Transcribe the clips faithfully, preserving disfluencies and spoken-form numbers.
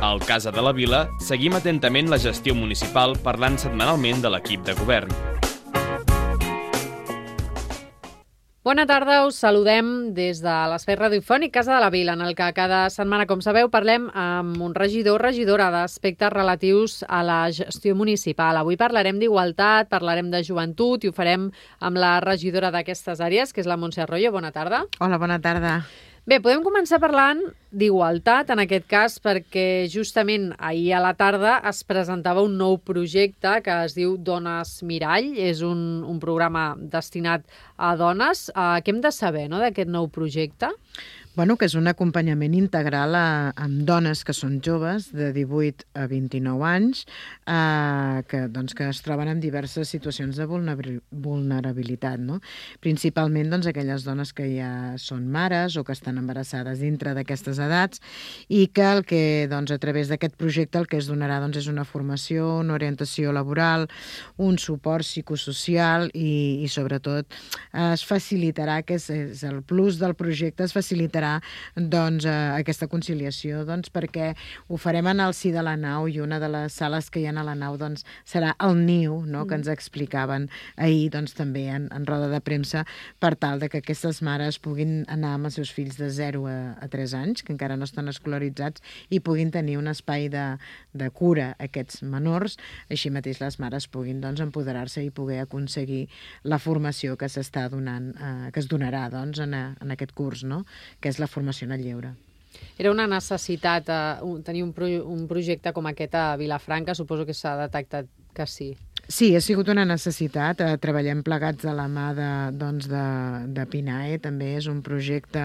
Al Casa de la Vila seguim atentament la gestió municipal parlant setmanalment de l'equip de govern. Bona tarda, us saludem des de l'espai radiofònic Casa de la Vila, en el que cada setmana, com sabeu, parlem amb un regidor o regidora d'aspectes relatius a la gestió municipal. Avui parlarem d'igualtat, parlarem de joventut i ho farem amb la regidora d'aquestes àrees, que és la Montse Arroyo. Bona tarda. Hola, bona tarda. Bé, podem començar parlant d'igualtat, en aquest cas, perquè justament ahir a la tarda es presentava un nou projecte que es diu Dones Mirall. És un, un programa destinat a dones. Uh, què hem de saber, no?, d'aquest nou projecte? Bueno, que és un acompanyament integral a, amb dones que són joves, de divuit a vint-i-nou anys, eh, que, doncs, que es troben en diverses situacions de vulnerabilitat, no? Principalment doncs, aquelles dones que ja són mares o que estan embarassades dintre d'aquestes edats i que, el que doncs, a través d'aquest projecte el que es donarà doncs, és una formació, una orientació laboral, un suport psicosocial i, i sobretot es facilitarà, que és, és el plus del projecte, es facilitarà doncs, eh, aquesta conciliació, doncs, perquè ho farem en el si de la nau i una de les sales que hi ha a la nau doncs, serà el niu, no?, que ens explicaven ahir doncs, també en, en roda de premsa, per tal de que aquestes mares puguin anar amb els seus fills de zero a, a tres anys, que encara no estan escolaritzats, i puguin tenir un espai de, de cura a aquests menors. Així mateix les mares puguin doncs, empoderar-se i poder aconseguir la formació que s'està donant, eh, que es donarà doncs, en, a, en aquest curs, no?, que és la formació en el lleure. Era una necessitat eh, tenir un, pro un projecte com aquest a Vilafranca? Suposo que s'ha detectat que sí. Sí, ha sigut una necessitat. Eh, treballem plegats de la mà de, doncs de, de PINAE. També és un projecte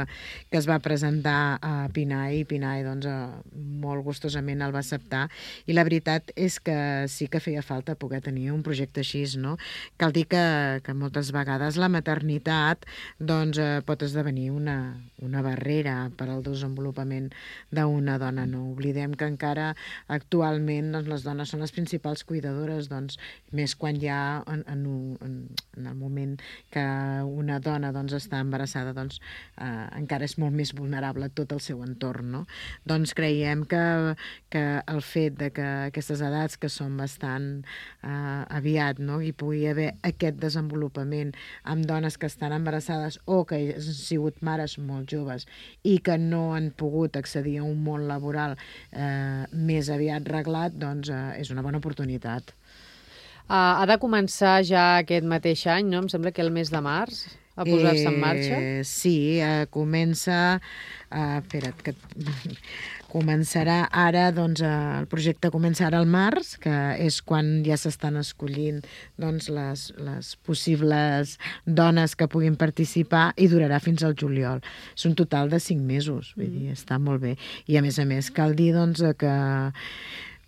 que es va presentar a PINAE i PINAE doncs, eh, molt gustosament el va acceptar. I la veritat és que sí que feia falta poder tenir un projecte així, no? Cal dir que, que moltes vegades la maternitat doncs, eh, pot esdevenir una, una barrera per al desenvolupament d'una dona. No oblidem que encara actualment doncs, les dones són les principals cuidadores, doncs, més quan ja en, en, en, en el moment que una dona doncs, està embarassada, doncs, eh, encara és molt més vulnerable tot el seu entorn, no? Doncs creiem que, que el fet de que aquestes edats que són bastant eh, aviat, no?, hi pugui haver aquest desenvolupament amb dones que estan embarassades o que han sigut mares molt joves i que no han pogut accedir a un món laboral eh, més aviat reglat, doncs eh, és una bona oportunitat. Uh, ha de començar ja aquest mateix any, no? Em sembla que el mes de març, a posar-se en marxa. Eh, sí, eh, comença... Uh, espera't, que... Començarà ara, doncs, el projecte comença ara al març, que és quan ja s'estan escollint doncs, les, les possibles dones que puguin participar i durarà fins al juliol. És un total de cinc mesos, vull dir, està molt bé. I a més a més cal dir doncs, que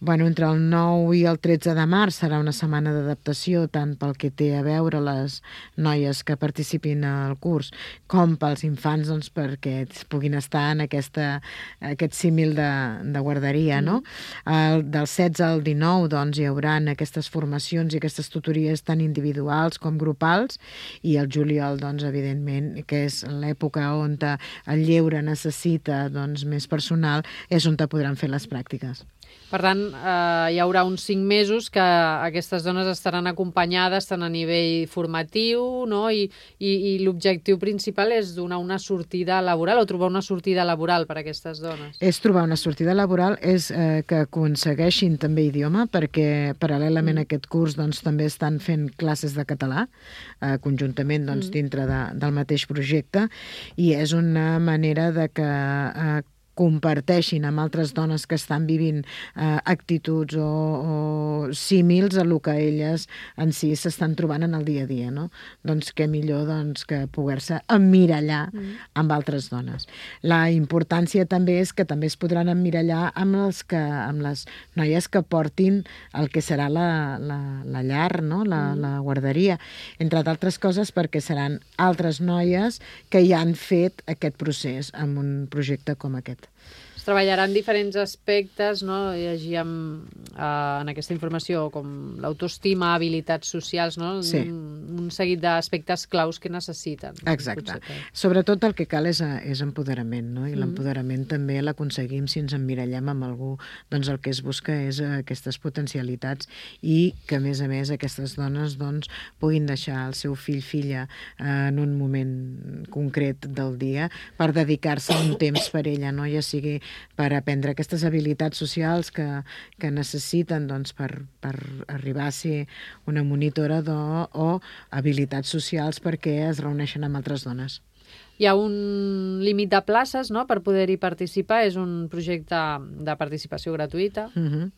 bueno, entre el nou i el tretze de març serà una setmana d'adaptació tant pel que té a veure les noies que participin al curs com pels infants, doncs, perquè puguin estar en aquesta, aquest símil de, de guarderia, no? El, del setze al dinou doncs, hi haurà aquestes formacions i aquestes tutories tan individuals com grupals i el juliol, doncs, evidentment, que és l'època on el lleure necessita doncs, més personal, és on podran fer les pràctiques. Per tant, eh, hi haurà uns cinc mesos que aquestes dones estaran acompanyades tant a nivell formatiu, no? I, i, i l'objectiu principal és donar una sortida laboral o trobar una sortida laboral per a aquestes dones. És trobar una sortida laboral, és eh, que aconsegueixin també idioma, perquè paral·lelament mm. a aquest curs doncs, també estan fent classes de català, eh, conjuntament doncs, mm. dintre de, del mateix projecte, i és una manera de que eh, comparteixin amb altres dones que estan vivint eh, actituds o, o símils a el que elles en si s'estan trobant en el dia a dia, no? Doncs què millor doncs, que poder-se emmirallar mm. amb altres dones. La importància també és que també es podran emmirallar amb, els que, amb les noies que portin el que serà la, la, la llar, no? la, mm. la guarderia, entre d'altres coses perquè seran altres noies que ja han fet aquest procés amb un projecte com aquest. Es treballaran diferents aspectes, no? Llegíem eh, en aquesta informació com l'autoestima, habilitats socials, no? Sí. Un, un seguit d'aspectes claus que necessiten. Exacte. Potser. Sobretot el que cal és, és empoderament, no? I Mm. l'empoderament també l'aconseguim si ens emmirallem amb algú. Doncs el que es busca és aquestes potencialitats i que, a més a més, aquestes dones doncs, puguin deixar el seu fill, filla, eh, en un moment concret del dia per dedicar-se un temps per ella, no? Ja sigui per aprendre aquestes habilitats socials que, que necessiten doncs, per, per arribar a ser una monitora do, o habilitats socials perquè es reuneixen amb altres dones. Hi ha un límit de places, no?, per poder-hi participar. És un projecte de participació gratuïta. Uh-huh.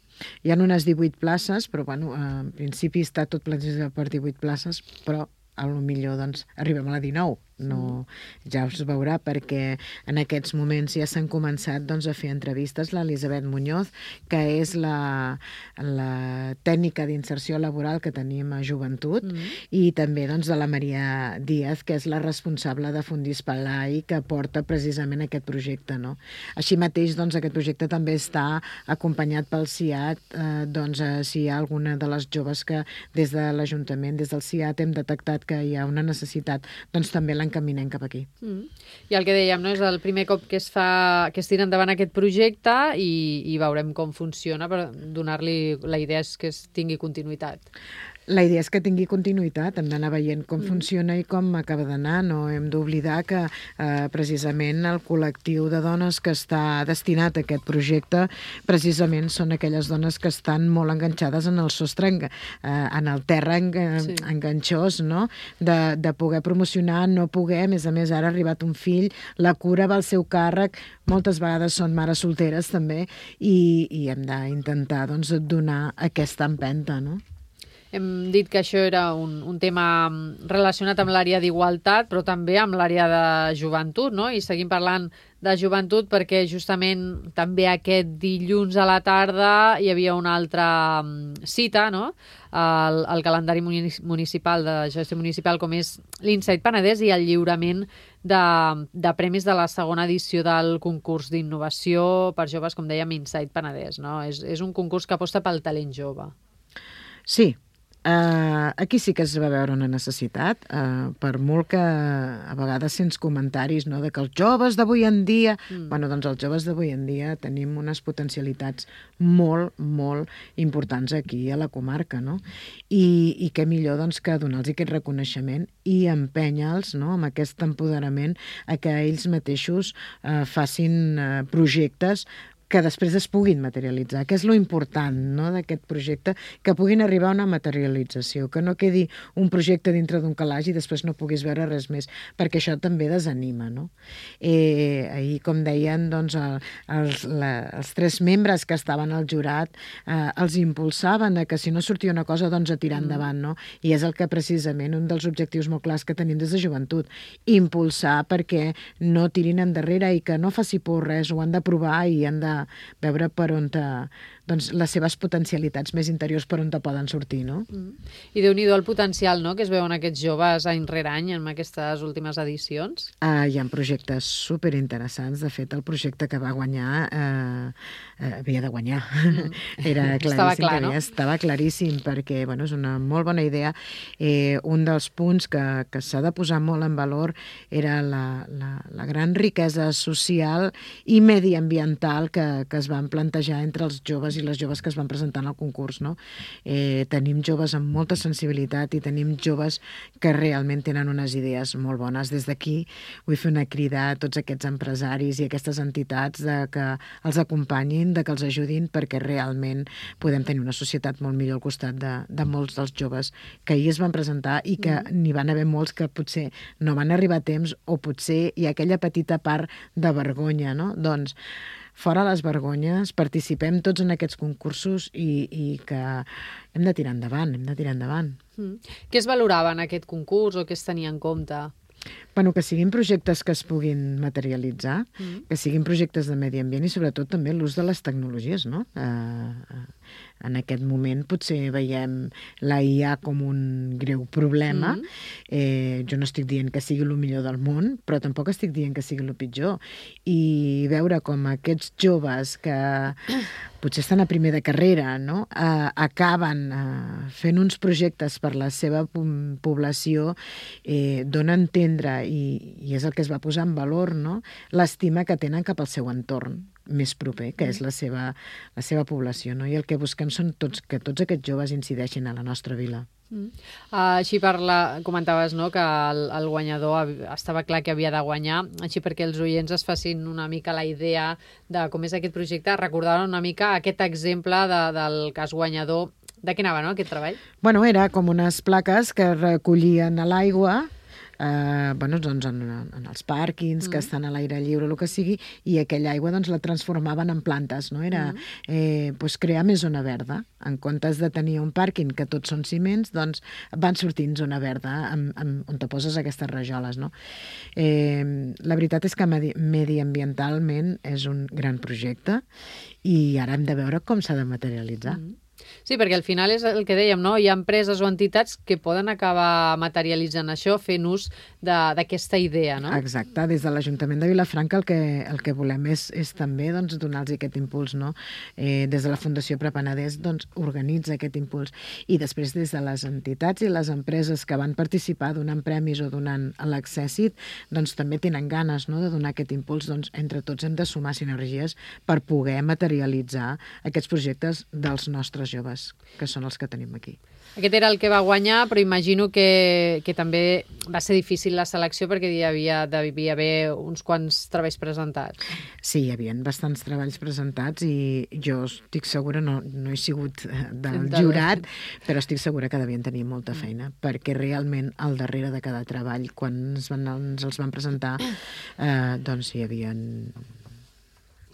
Hi ha unes divuit places, però bueno, en principi està tot plantejat per divuit places, però a lo millor doncs, arribem a la dinou. No, ja us veurà, perquè en aquests moments ja s'han començat doncs, a fer entrevistes. L'Elisabet Muñoz, que és la, la tècnica d'inserció laboral que tenim a Joventut, mm. i també doncs, de la Maria Díaz, que és la responsable de Fundis Palai, que porta precisament aquest projecte. No? Així mateix, doncs, aquest projecte també està acompanyat pel C I A T, eh, doncs, eh, si hi ha alguna de les joves que des de l'Ajuntament, des del C I A T, hem detectat que hi ha una necessitat, doncs també encaminem cap aquí. Mm. I el que dèiem, no? És el primer cop que es fa, que es tira endavant aquest projecte i, i veurem com funciona, per donar-li, la idea és que es tingui continuïtat. La idea és que tingui continuïtat, hem d'anar veient com mm. funciona i com acaba d'anar. No hem d'oblidar que eh, precisament el col·lectiu de dones que està destinat a aquest projecte precisament són aquelles dones que estan molt enganxades en el sostre, en, eh, en el terra en, sí. enganxós, no? De, de poder promocionar, no poder, a més a més ara ha arribat un fill, la cura va al seu càrrec, moltes vegades són mares solteres també, i, i hem d'intentar doncs, donar aquesta empenta, no? Hem dit que això era un, un tema relacionat amb l'àrea d'igualtat, però també amb l'àrea de joventut, no? I seguim parlant de joventut perquè justament també aquest dilluns a la tarda hi havia una altra cita, no? El, el calendari municipal de gestió municipal, com és l'Insight Penedès, i el lliurament de, de premis de la segona edició del concurs d'innovació per joves, com dèiem, Insight Penedès, no? És, és un concurs que aposta pel talent jove. Sí. Uh, aquí sí que es va veure una necessitat, uh, per molt que a vegades sents comentaris, no?, de que els joves d'avui en dia... Mm. Bueno, doncs els joves d'avui en dia tenim unes potencialitats molt, molt importants aquí a la comarca, no? I, i què millor doncs, que donar-los aquest reconeixement i empènyer-los, no?, amb aquest empoderament a que ells mateixos uh, facin uh, projectes que després es puguin materialitzar, que és lo important, no?, d'aquest projecte, que puguin arribar a una materialització, que no quedi un projecte dintre d'un calaix i després no puguis veure res més, perquè això també desanima, no? Eh, ahir, com deien, doncs, el, els, la, els tres membres que estaven al jurat eh, els impulsaven a que si no sortia una cosa, doncs a tirar mm. endavant, no? I és el que precisament un dels objectius molt clars que tenim des de joventut, impulsar perquè no tirin endarrere i que no faci por res, ho han de provar i han de veure per on te, doncs, les seves potencialitats més interiors per on te poden sortir, no? Mm. I déu-n'hi-do el potencial, no?, que es veuen aquests joves any rere any en aquestes últimes edicions. Uh, hi ha projectes superinteressants. De fet, el projecte que va guanyar eh, eh, havia de guanyar. Mm. Era claríssim. Estava clar, no? Estava claríssim, perquè bueno, és una molt bona idea. Eh, un dels punts que, que s'ha de posar molt en valor era la, la, la gran riquesa social i mediambiental que que es van plantejar entre els joves i les joves que es van presentar en el concurs, no? Eh, tenim joves amb molta sensibilitat i tenim joves que realment tenen unes idees molt bones. Des d'aquí vull fer una crida a tots aquests empresaris i aquestes entitats de que els acompanyin, de que els ajudin, perquè realment podem tenir una societat molt millor al costat de, de molts dels joves que ahir es van presentar i que mm. n'hi van haver molts que potser no van arribar a temps o potser hi ha aquella petita part de vergonya, no? Doncs fora les vergonyes, participem tots en aquests concursos i, i que hem de tirar endavant, hem de tirar endavant. Mm. Què es valorava en aquest concurs o què es tenia en compte? Bueno, que siguin projectes que es puguin materialitzar, mm. que siguin projectes de medi ambient i sobretot també l'ús de les tecnologies, no? Eh, en aquest moment potser veiem la I A com un greu problema. Mm. Eh, jo no estic dient que sigui el millor del món, però tampoc estic dient que sigui el pitjor. I veure com aquests joves que potser estan a primer de carrera, no? Eh, acaben eh, fent uns projectes per la seva població, eh, dona a entendre, i, i és el que es va posar en valor, no? L'estima que tenen cap al seu entorn més proper, que és la seva, la seva població, no? I el que busquem són tots, que tots aquests joves incideixin a la nostra vila. Mm. Uh, així per la, comentaves, no?, que el, el guanyador estava clar que havia de guanyar, així perquè els oients es facin una mica la idea de com és aquest projecte, recordar una mica aquest exemple de, del cas guanyador. De què anava, no?, aquest treball? Bueno, era com unes plaques que recollien a l'aigua, eh, bueno, doncs en, en els pàrquings, mm. que estan a l'aire lliure, el que sigui, i aquella aigua doncs la transformaven en plantes, no? Era mm. eh, doncs crear més zona verda. En comptes de tenir un pàrquing que tots són ciments, doncs van sortint zona verda amb, amb, on te poses aquestes rajoles, no? Eh, la veritat és que medi, mediambientalment és un gran projecte i ara hem de veure com s'ha de materialitzar. Mm. Sí, perquè al final és el que dèiem, no? Hi ha empreses o entitats que poden acabar materialitzant això, fent ús d'aquesta idea, no? Exacte. Des de l'Ajuntament de Vilafranca el que, el que volem és, és també doncs, donar-los aquest impuls, no? Eh, des de la Fundació Prepenedès doncs, organitza aquest impuls. I després des de les entitats i les empreses que van participar donant premis o donant l'accèssit, doncs també tenen ganes, no?, de donar aquest impuls. Doncs entre tots hem de sumar sinergies per poder materialitzar aquests projectes dels nostres joves, que són els que tenim aquí. Aquest era el que va guanyar, però imagino que, que també va ser difícil la selecció perquè hi havia, devia haver uns quants treballs presentats. Sí, hi havia bastants treballs presentats i jo estic segura, no, no he sigut del jurat, però estic segura que devien tenir molta feina, perquè realment al darrere de cada treball, quan ens, van, ens els van presentar, eh, doncs hi havia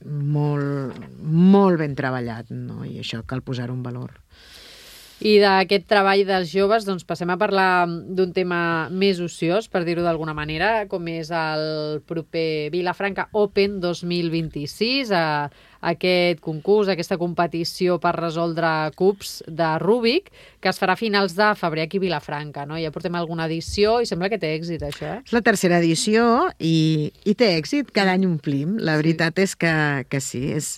molt, molt ben treballat, no? I això cal posar-ho en valor. I d'aquest treball dels joves doncs passem a parlar d'un tema més ociós, per dir-ho d'alguna manera, com és el proper Vilafranca Open dos mil vint-i-sis, a aquest concurs, aquesta competició per resoldre cubs de Rubik, que es farà a finals de febrer aquí a Vilafranca, no? Ja portem alguna edició i sembla que té èxit, això, eh? És la tercera edició i, i té èxit, cada any omplim. La veritat sí. és que, que sí. És,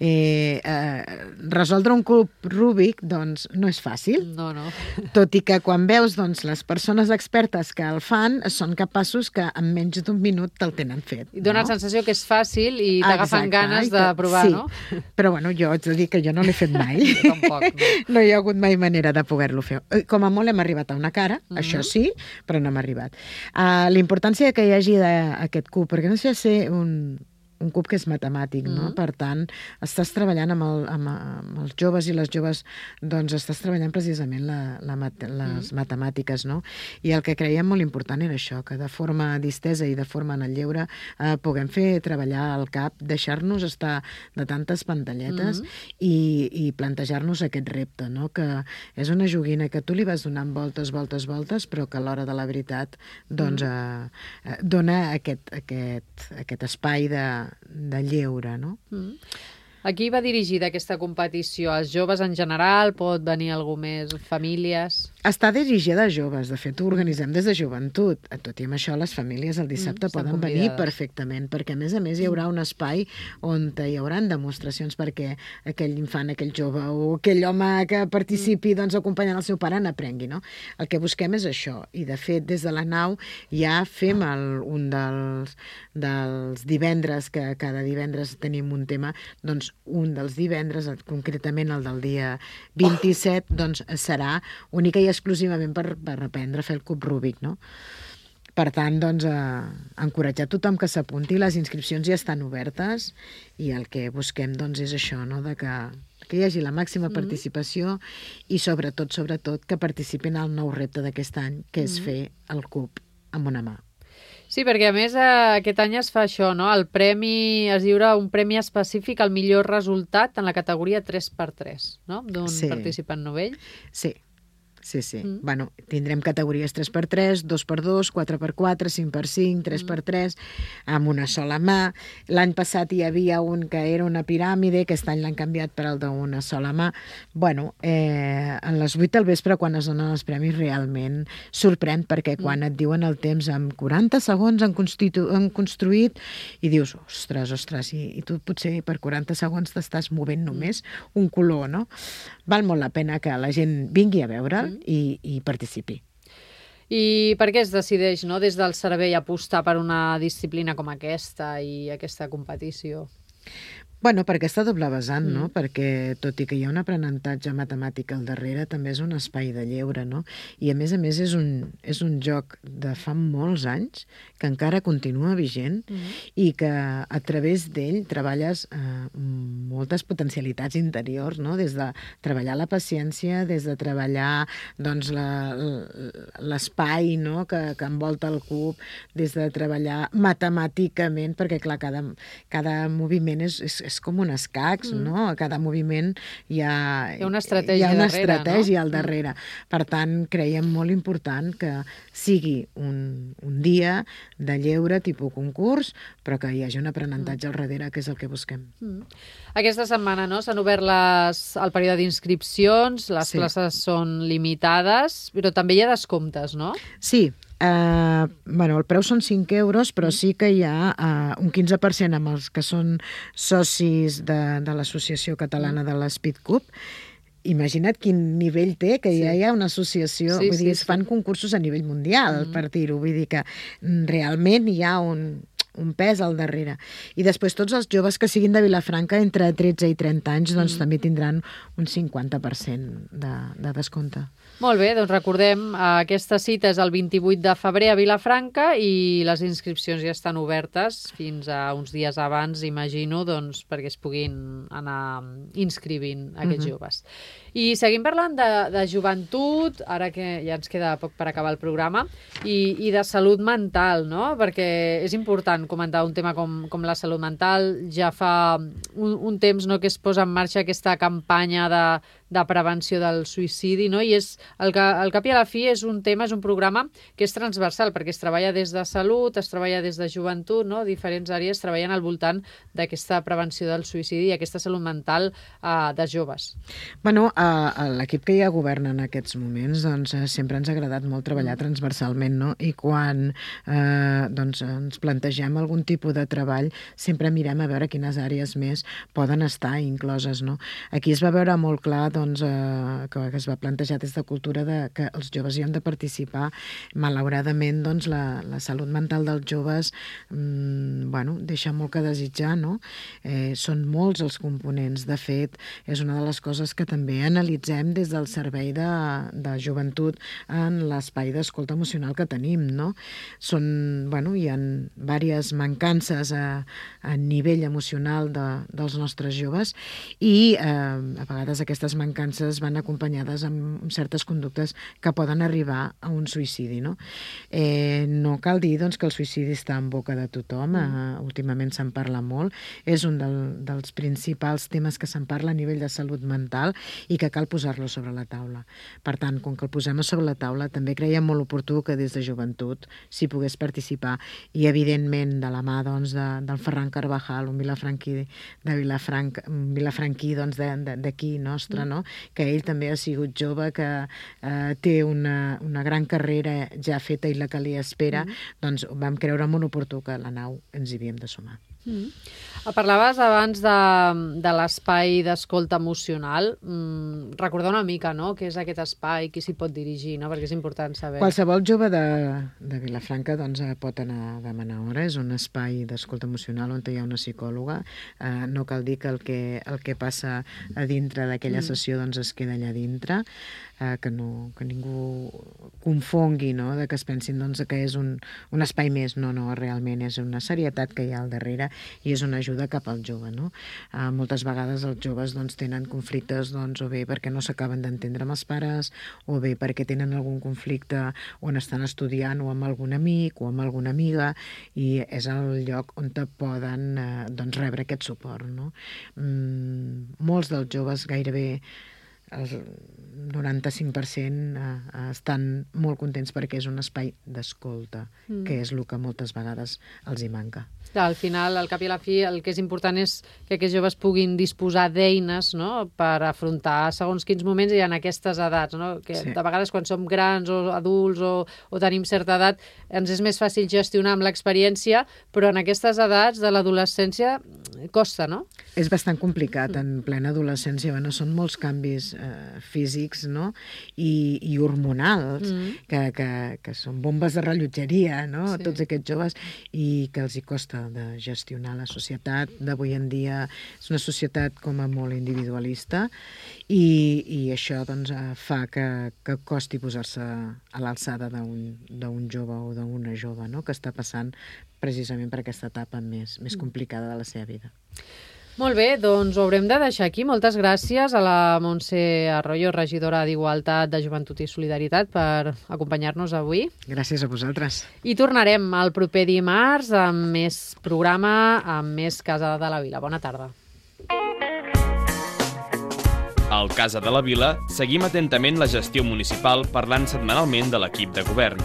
eh, eh, resoldre un cub Rubik, doncs, no és fàcil. No, no. Tot i que quan veus doncs, les persones expertes que el fan, són capaços que en menys d'un minut te'l tenen fet. I dona no? la sensació que és fàcil i t'agafen ganes de provar. Sí, no? Però bueno, jo haig de dir que jo no l'he fet mai. Tampoc, no. No hi ha hagut mai manera de poder-lo fer. Com a molt hem arribat a una cara, mm-hmm. això sí, però no hem arribat. Uh, la importància que hi hagi d'aquest cub, perquè no sé si ser un... un cub que és matemàtic, no? Mm. Per tant, estàs treballant amb, el, amb, amb els joves i les joves, doncs estàs treballant precisament la, la, les mm. matemàtiques, no? I el que creiem molt important era això, que de forma distesa i de forma en el lleure eh, puguem fer treballar el cap, deixar-nos estar de tantes pantalletes mm. i, i plantejar-nos aquest repte, no? Que és una joguina que tu li vas donant voltes, voltes, voltes, però que a l'hora de la veritat doncs, mm. eh, dona aquest, aquest, aquest espai de de lleure, no? Mm. A qui va dirigida aquesta competició? Als joves en general? Pot venir algú més? Famílies? Està dirigida a joves. De fet, ho organitzem des de joventut. Tot i amb això, les famílies el dissabte mm, poden venir perfectament, perquè a més a més hi haurà un espai on hi haurà demostracions perquè aquell infant, aquell jove o aquell home que participi mm. doncs, acompanyant el seu pare n'aprengui, no? El que busquem és això. I, de fet, des de la nau ja fem el, un dels, dels divendres, que cada divendres tenim un tema, doncs un dels divendres, concretament el del dia vint-i-set, doncs serà única i exclusivament per, per aprendre a fer el cub Rubik, no? Per tant, doncs, eh, encoratjar tothom que s'apunti, les inscripcions ja estan obertes i el que busquem doncs, és això, no? De que, que hi hagi la màxima mm. participació i sobretot, sobretot, que participin al nou repte d'aquest any, que és mm. fer el cub amb una mà. Sí, perquè a més aquest any es fa això, no? El premi, es lliura un premi específic al millor resultat en la categoria tres per tres, no? D'un sí. participant novell. Sí. sí, sí. Mm. Bueno, tindrem categories tres per tres, dos per dos, quatre per quatre, cinc per cinc, tres per tres, amb una sola mà. L'any passat hi havia un que era una piràmide, aquest any l'han canviat per el d'una sola mà. Bueno, eh, a les vuit del vespre, quan es donen els premis, realment sorprèn, perquè quan et diuen el temps amb quaranta segons han, han construït, i dius, ostres, ostres, i, i tu potser per quaranta segons t'estàs movent només un color, no? Val molt la pena que la gent vingui a veure'l mm. i, i participi. I per què es decideix, no, des del servei apostar per una disciplina com aquesta i aquesta competició? Bueno, per aquesta doble vessant, mm. no? Perquè tot i que hi ha un aprenentatge matemàtic al darrere, també és un espai de lleure, no? I a més a més és un, és un joc de fa molts anys que encara continua vigent mm. i que a través d'ell treballes eh, moltes potencialitats interiors, no? Des de treballar la paciència, des de treballar doncs, l'espai, no? que, que envolta el cub, des de treballar matemàticament, perquè clar, cada, cada moviment és, és és com un escacs, mm. no? A cada moviment hi ha, hi ha una estratègia, hi ha una darrere, estratègia no? al darrere. Per tant, creiem molt important que sigui un, un dia de lleure tipus concurs, però que hi hagi un aprenentatge mm. al darrere, que és el que busquem. Mm. Aquesta setmana, no?, s'han obert les, el període d'inscripcions, les sí. places són limitades, però també hi ha descomptes, no? Sí. Uh, bueno, el preu són cinc euros, però sí que hi ha uh, un quinze per cent amb els que són socis de, de l'Associació Catalana de l'Speed Cup. Imagina't quin nivell té, que sí. ja hi ha una associació, sí, vull dir, sí, es fan sí. concursos a nivell mundial, mm. per dir-ho, vull dir que realment hi ha un... un pes al darrere. I després tots els joves que siguin de Vilafranca entre tretze i trenta anys doncs mm. també tindran un cinquanta per cent de, de descompte. Molt bé, doncs recordem, aquesta cita és el vint-i-vuit de febrer a Vilafranca i les inscripcions ja estan obertes fins a uns dies abans, imagino, doncs, perquè es puguin anar inscrivint aquests mm-hmm. joves. I seguim parlant de, de joventut, ara que ja ens queda poc per acabar el programa, i, i de salut mental, no? Perquè és important comentar un tema com, com la salut mental. Ja fa un, un temps, no, que es posa en marxa aquesta campanya de, de prevenció del suïcidi, no? I és, el, que, el cap i a la fi és un tema, és un programa que és transversal, perquè es treballa des de salut, es treballa des de joventut, no? Diferents àrees treballen al voltant d'aquesta prevenció del suïcidi i aquesta salut mental eh, de joves. Bueno, a l'equip que ja governa en aquests moments, doncs, sempre ens ha agradat molt treballar transversalment, no? I quan eh, doncs, ens plantegem algun tipus de treball, sempre mirem a veure quines àrees més poden estar incloses, no? Aquí es va veure molt clar doncs, eh, que es va plantejar des de cultura de, que els joves hi han de participar. Malauradament, doncs, la, la salut mental dels joves mmm, bueno, deixa molt que desitjar, no? Eh, són molts els components. De fet, és una de les coses que també analitzem des del servei de, de joventut en l'espai d'escolta emocional que tenim, no? Són, bueno, hi ha diverses mancances a, a nivell emocional de, dels nostres joves i eh, a vegades aquestes mancances van acompanyades amb certes conductes que poden arribar a un suïcidi, no? Eh, no cal dir, doncs, que el suïcidi està en boca de tothom, eh, últimament se'n parla molt, és un del, dels principals temes que se'n parla a nivell de salut mental i que cal posar-lo sobre la taula. Per tant, com que el posem sobre la taula, també creiem molt oportú que des de joventut s'hi pogués participar i, evidentment, de la mà doncs, de, del Ferran Carvajal, un vilafranquí de Vilafranc, un vilafranquí doncs, d'aquí nostre, no? Que ell també ha sigut jove, que eh, té una, una gran carrera ja feta i la que li espera, mm. doncs vam creure molt oportú que a la nau ens hi havíem de sumar. Mm. Parlaves abans de, de l'espai d'escolta emocional. Mm, recordar una mica, no?, què és aquest espai, qui s'hi pot dirigir, no?, perquè és important saber. Qualsevol jove de, de Vilafranca doncs, pot anar a demanar hora. És un espai d'escolta emocional on hi ha una psicòloga. Eh, no cal dir que el que, el que passa a dintre d'aquella mm. sessió doncs, es queda allà dintre. Eh, que, no, que ningú confongui, no?, de que es pensin doncs, que és un, un espai més. No, no, realment és una serietat que hi ha al darrere i és una ajuda cap al jove, no? Eh, moltes vegades els joves doncs, tenen conflictes doncs, o bé perquè no s'acaben d'entendre amb els pares, o bé perquè tenen algun conflicte on estan estudiant o amb algun amic o amb alguna amiga, i és el lloc on te poden eh, doncs, rebre aquest suport, no? Mm, molts dels joves, gairebé el noranta-cinc per cent estan molt contents perquè és un espai d'escolta, mm. que és el que moltes vegades els hi manca. Clar, al final, al cap i a la fi, el que és important és que aquests joves puguin disposar d'eines, no?, per afrontar segons quins moments i en aquestes edats, no? Que sí. De vegades quan som grans o adults o, o tenim certa edat ens és més fàcil gestionar amb l'experiència, però en aquestes edats de l'adolescència costa, no? És bastant complicat en plena adolescència. Bueno, són molts canvis eh, físics, no?, I, i hormonals, mm. que, que, que són bombes de rellotgeria, no?, sí. Tots aquests joves, i que els hi costa de gestionar la societat d'avui en dia. És una societat com a molt individualista i, i això doncs, fa que, que costi posar-se a l'alçada d'un jove o d'una jove, no?, que està passant precisament per aquesta etapa més, més complicada de la seva vida. Molt bé, doncs ho haurem de deixar aquí. Moltes gràcies a la Montse Arroyo, regidora d'Igualtat, de Joventut i Solidaritat, per acompanyar-nos avui. Gràcies a vosaltres. I tornarem el proper dimarts amb més programa, amb més Casa de la Vila. Bona tarda. Al Casa de la Vila seguim atentament la gestió municipal parlant setmanalment de l'equip de govern.